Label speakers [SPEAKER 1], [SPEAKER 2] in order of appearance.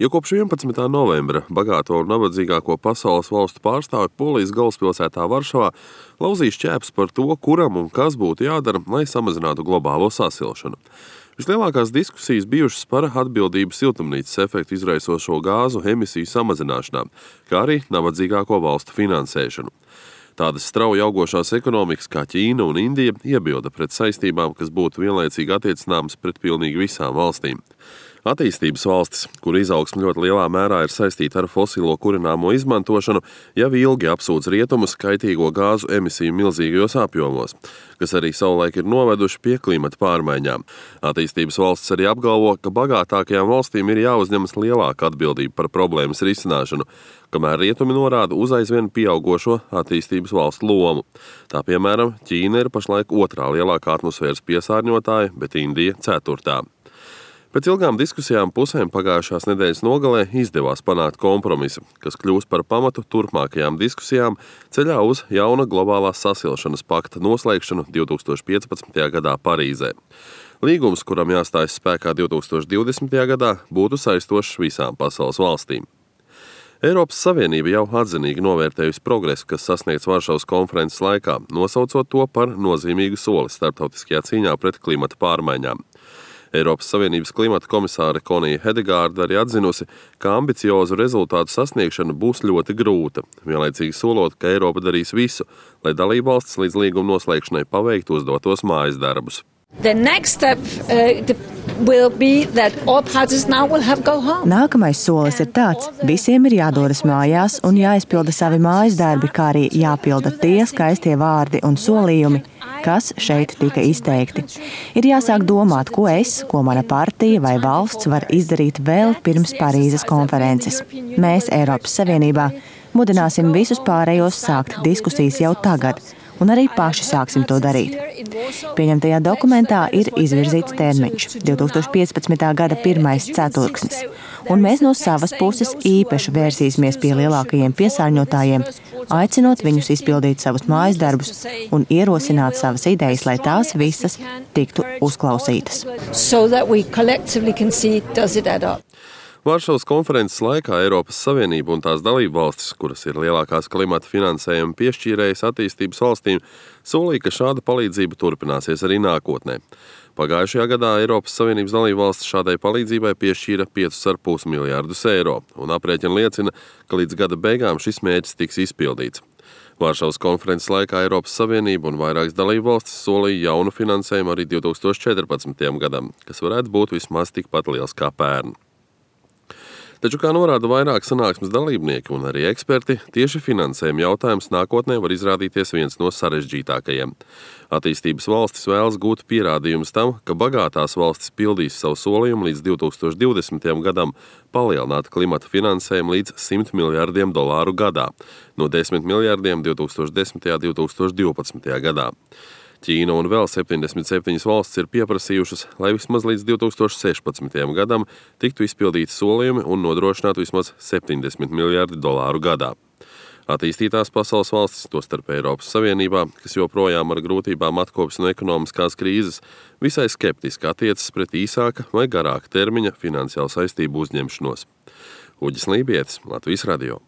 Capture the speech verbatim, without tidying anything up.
[SPEAKER 1] Jo kopš vienpadsmitā novembra bagāto un nabadzīgāko pasaules valstu pārstāvi Polijas galvaspilsētā Varšavā lauzīs šķēpes par to, kuram un kas būtu jādara, lai samazinātu globālo sasilšanu. Vislielākās diskusijas bijušas par atbildību siltumnīcas efektu izraisošo gāzu emisiju samazināšanā, kā arī nabadzīgāko valstu finansēšanu. Tādas strauji augošās ekonomikas kā Ķīna un Indija iebilda pret saistībām, kas būtu vienlaicīgi attiecināmas pret pilnīgi visām valstīm. Attīstības valstis, kur izaugsme ļoti lielā mērā ir saistīta ar fosilo kurināmo izmantošanu, jau ilgi apsūdz rietumus kaitīgo gāzu emisiju milzīgajos apjomos, kas arī savulaik ir noveduši pie klimata pārmaiņām. Attīstības valstis arī apgalvo, ka bagātākajām valstīm ir jāuzņemas lielāka atbildība par problēmas risināšanu, kamēr rietumi norāda uz aizvien pieaugošo attīstības valstu lomu. Tā piemēram, Ķīna ir pašlaik otrā lielākā atmosfēras piesārņotāja, bet Indija ceturtā. Pēc ilgām diskusijām pusēm pagājušās nedēļas nogalē izdevās panākt kompromisu, kas kļūs par pamatu turpmākajām diskusijām ceļā uz jauna globālās sasilšanas pakta noslēgšanu divtūkstoš piecpadsmitajā gadā Parīzē. Līgums, kuram jāstājas spēkā divtūkstoš divdesmitajā gadā, būtu saistošs visām pasaules valstīm. Eiropas Savienība jau atzinīgi novērtējusi progresu, kas sasniegts Varšavas konferences laikā, nosaucot to par nozīmīgu soli starptautiskajā cīņā pret klimata pārmaiņām. Eiropas Savienības klimata komisāre Konija Hedegārda arī atzinusi, ka ambiciozu rezultātu sasniegšana būs ļoti grūta, vienlaicīgi solot, ka Eiropa darīs visu, lai dalībvalstis līdz līguma noslēgšanai paveiktu uzdotos mājas darbus.
[SPEAKER 2] Nākamais solis ir tāds, visiem ir jādodas mājās un jāizpilda savi mājas darbi, kā arī jāpilda tie skaistie vārdi un solījumi, kas šeit tika izteikti. Ir jāsāk domāt, ko es, ko mana partija vai valsts var izdarīt vēl pirms Parīzes konferences. Mēs Eiropas Savienībā mudināsim visus pārējos sākt diskusijas jau tagad, un arī paši sāksim to darīt. Pieņemtajā dokumentā ir izvirzīts termiņš – divtūkstoš piecpadsmitā gada pirmais ceturksnis, un mēs no savas puses īpaši vērsīsimies pie lielākajiem piesārņotājiem, aicinot viņus izpildīt savus mājas darbus un ierosināt savas idejas, lai tās visas tiktu uzklausītas.
[SPEAKER 1] Varšavas konferences laikā Eiropas Savienība un tās dalībvalstis, kuras ir lielākās klimata finansējuma piešķīrējas attīstības valstīm, solīja, ka šāda palīdzība turpināsies arī nākotnē. Pagājušajā gadā Eiropas Savienības dalībvalstis šādai palīdzībai piešķīra piecus ar pus miljārdus eiro, un aprēķini liecina, ka līdz gada beigām šis mērķis tiks izpildīts. Varšavas konferences laikā Eiropas Savienība un vairākas dalībvalstis solīja jaunu finansējumu arī divtūkstoš četrpadsmitajam gadam, kas varētu būt vismaz tikpat liels kā pērn. Taču, kā norāda vairāk sanāksmes dalībnieki un arī eksperti, tieši finansējuma jautājums nākotnē var izrādīties viens no sarežģītākajiem. Attīstības valstis vēlas gūt pierādījumus tam, ka bagātās valstis pildīs savu solījumu līdz divtūkstoš divdesmitajam gadam palielināt klimata finansējumu līdz simt miljārdiem dolāru gadā, no desmit miljārdiem divtūkstoš desmitajā un divtūkstoš divpadsmitajā gadā. Ķīna un vēl septiņdesmit septiņas valstis ir pieprasījušas, lai vismaz līdz divtūkstoš sešpadsmitajam gadam tiktu izpildīti solījumi un nodrošinātu vismaz septiņdesmit miljārdi dolāru gadā. Attīstītās pasaules valstis, tostarp Eiropas Savienībā, kas joprojām ar grūtībām atkopas no ekonomiskās krīzes, visai skeptiski attiecas pret īsāka vai garāka termiņa finansiālu saistību uzņemšanos. Uģis Lībietis, Latvijas radio.